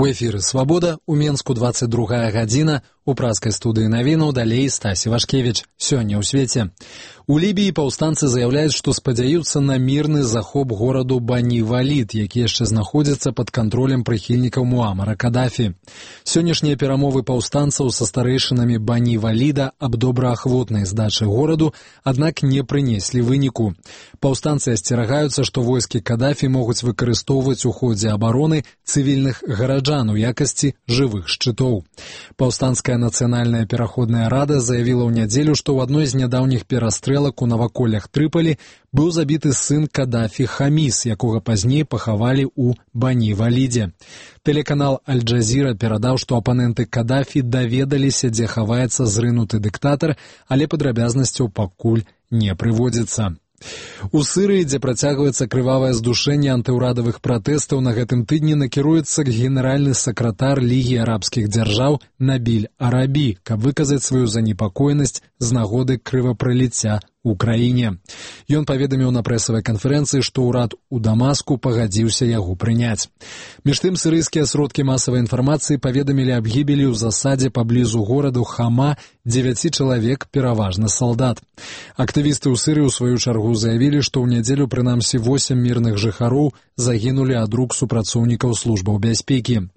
У эфіры «Свабода», у Менску 22 гадзіна, у праскай студыі навінаў далей Стасі Вашкевіч. Сёння ў свеце. У Лібіі паўстанцы заяўляюць, што спадзяюцца на мірны захоп гораду Бані-Валід, які яшчэ знаходзіцца пад кантролем прыхільнікаў Муамара Кадафі. Сённяшнія перамовы паўстанцаў са старэйшынамі Бані-Валіда аб добраахвотнай здачы гораду, аднак не прынеслі выніку. Паўстанцы асцерагаюцца, што войскі Кадафі могуць выкарыстоўваць у ходзе абароны цывільных гараджан у якасці жывых шчытоў. Паўстанцкая нацыянальная пераходная рада заявіла ў нядзелю, што ў адной з нядаўніх перастрэлак у наваколлях Трыполі быў забіты сын Кадафі Хаміс, якога пазней пахавалі ў Бані-Валідзе. Тэлеканал Аль-Джазіра перадаў, што апаненты Кадафі даведаліся, дзе хаваецца зрынуты дыктатар, але падрабязнасцяў пакуль не прыводзіцца. У Сырыі, дзе працягваецца крывавае здушэнне антыўрадавых пратэстаў, на гэтым тыдні накіруецца генеральны сакратар Лігі арабскіх дзяржаў Набіль Арабі, каб выказаць сваю занепакоенасць з нагоды крывапраліцця у краіне. Ён паведаміў на прэсавай канферэнцыі, што ўрад у Дамаску пагадзіўся яго прыняць. Між тым, сырыйскія сродкі масавай інфармацыі паведамілі аб гібелі ў засадзе паблізу гораду Хама 9 чалавек, пераважна салдат. Актывісты ў Сырыі ў сваю чаргу заявілі, што ў нядзелю прынамсі 8 мірных жыхароў загінулі ад рук супрацоўнікаў службаў бяспекі.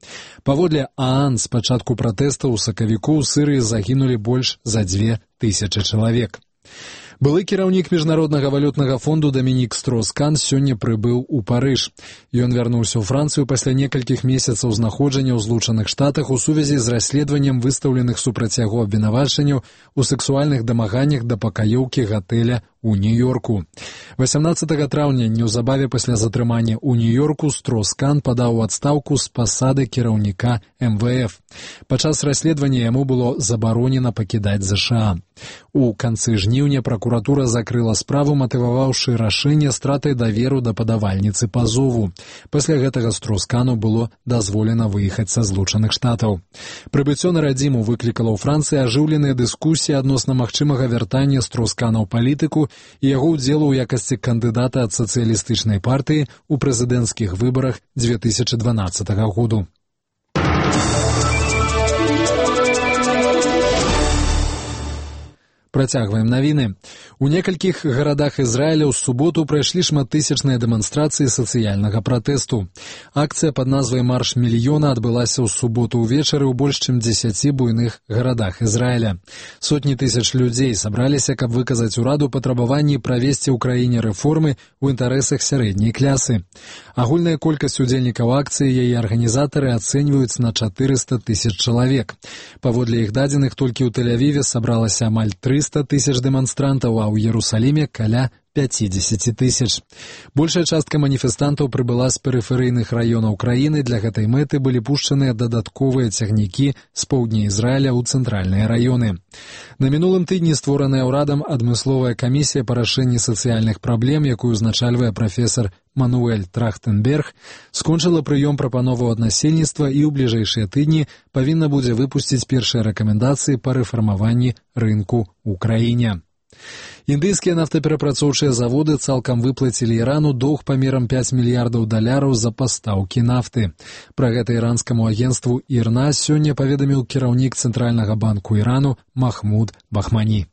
Паводле ААН, з пачатку пратэстаў у сакавіку ў Сырыі загінулі больш за 2000 чалавек. Былы кіраўнік Міжнароднага валютнага фонду Дамінік Строскан сёння прыбыў у Парыж. Ён вярнуўся ў Францыю пасля некалькіх месяцаў знаходжання ў Злучаных Штатах у сувязі з расследаваннем выстаўленых супраць яго абвінавачанняў у сексуальных дамаганнях да пакаёўкі гатэля у Нью-Йорку. 18 траўня, неўзабаве пасля затрымання ў Нью-Йорку, Строскан падаў у адстаўку з пасады кіраўніка МВФ. Падчас расследавання яму было забаронена пакідаць ЗША. У канцы жніўня пракуратура закрыла справу, матываваўшы рашэнне стратай даверу да падавальніцы пазову. Пасля гэтага Строскану было дазволена выехаць са Злучаных Штатаў. Прыбыццё на радзіму выклікала ў Францыі ажыўленыя дыскусіі адносна магчымага вяртання Строскана ў палітыку і яго ўдзелу ў якасці кандыдата ад сацыялістычнай партыі ў прэзідэнцкіх выбарах 2012 году. Працягваем навіны. У некалькіх гарадах Ізраіля ў суботу прайшлі шматтысячныя дэманстрацыі сацыяльнага пратэсту. Акцыя пад назвай «Марш мільёна» адбылася ў суботу ўвечары ў больш чым 10 буйных гарадах Ізраіля. Сотні тысяч людзей сабраліся, каб выказаць ураду патрабаванні правесці ў краіне рэформы ў інтарэсах сярэдняй клясы. Агульная колькасць удзельнікаў акцыі яе арганізатары ацэньваюць на 400 000 чалавек. Паводле іх дадзеных, толькі ў Тель-Авіве сабралася амаль 300 000 дэманстрантаў, а ў Іерусаліме каля 50 000. Большая частка маніфестантаў прыбыла з перыферыйных раёнаў краіны. Для гэтай мэты былі пушчаныя дадатковыя цягнікі з поўдня Ізраіля ў цэнтральныя раёны. На мінулым тыдні створаная ўрадам адмысловая камісія па рашэнні сацыяльных праблем, якую узначальвае прафесар Мануэль Трахтенберг, скончыла прыём прапановаў ад насельніцтва і ў бліжэйшыя тыдні павінна будзе выпусціць першыя рэкамендацыі па рэфармаванні рынку ў краіне. Індыйскія нафтаперапрацоўчыя заводы цалкам выплацілі Ірану доўг памерам $5 мільярдаў за пастаўкі нафты. Пра гэта іранскаму агенцтву ІРНА сёння паведаміў кіраўнік Цэнтральнага банку Ірану Махмуд Бахмані.